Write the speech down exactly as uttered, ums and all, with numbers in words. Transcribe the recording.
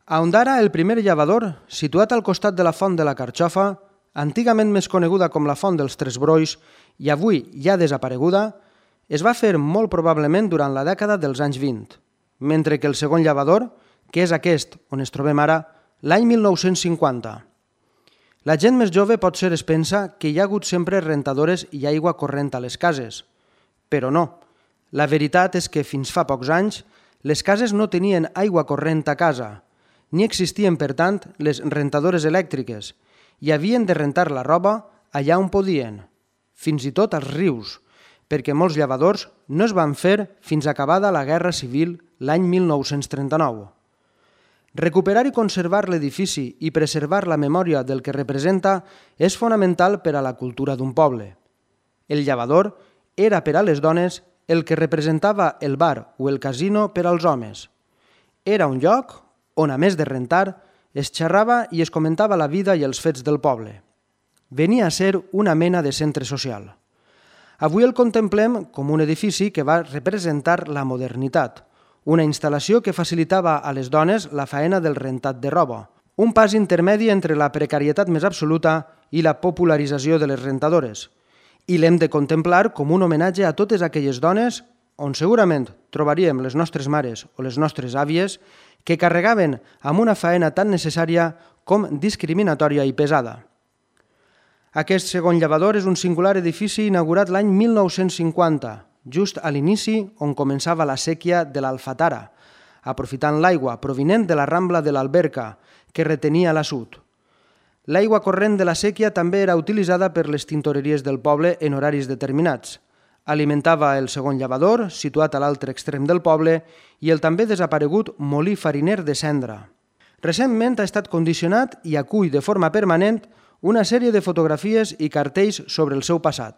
A Ondara, el primer llavador, situat al costat de la Font de la Carxofa, antigament més coneguda com la Font dels Tres Brois i avui ja desapareguda, es va fer molt probablement durant la dècada dels anys vint, mentre que el segon llavador, que és aquest on es trobem ara, l'any mil nou-cents cinquanta. La gent més jove potser es pensa que hi ha hagut sempre rentadores i aigua corrent a les cases, però no. La veritat és que fins fa pocs anys les cases no tenien aigua corrent a casa, ni existien, per tant, les rentadores elèctriques i havien de rentar la roba allà on podien, fins i tot als rius, perquè molts llavadors no es van fer fins acabada la Guerra Civil l'any mil nou-cents trenta-nou. Recuperar i conservar l'edifici i preservar la memòria del que representa és fonamental per a la cultura d'un poble. El llavador era per a les dones el que representava el bar o el casino per als homes. Era un lloc on, a més de rentar, es xerrava i es comentava la vida i els fets del poble. Venia a ser una mena de centre social. Avui el contemplem com un edifici que va representar la modernitat, una instal·lació que facilitava a les dones la faena del rentat de roba, un pas intermedi entre la precarietat més absoluta i la popularització de les rentadores. I l'hem de contemplar com un homenatge a totes aquelles dones on segurament trobaríem les nostres mares o les nostres àvies que carregaven amb una faena tan necessària com discriminatòria i pesada. Aquest segon llavador és un singular edifici inaugurat l'any mil nou-cents cinquanta, just a l'inici on començava la séquia de l'Alfatara, aprofitant l'aigua provinent de la Rambla de l'Alberca, que retenia l'assut. L'aigua corrent de la séquia també era utilitzada per les tintoreries del poble en horaris determinats. Alimentava el segon llavador, situat a l'altre extrem del poble, i el també desaparegut molí fariner de Cendra. Recentment ha estat condicionat i acull de forma permanent una sèrie de fotografies i cartells sobre el seu passat.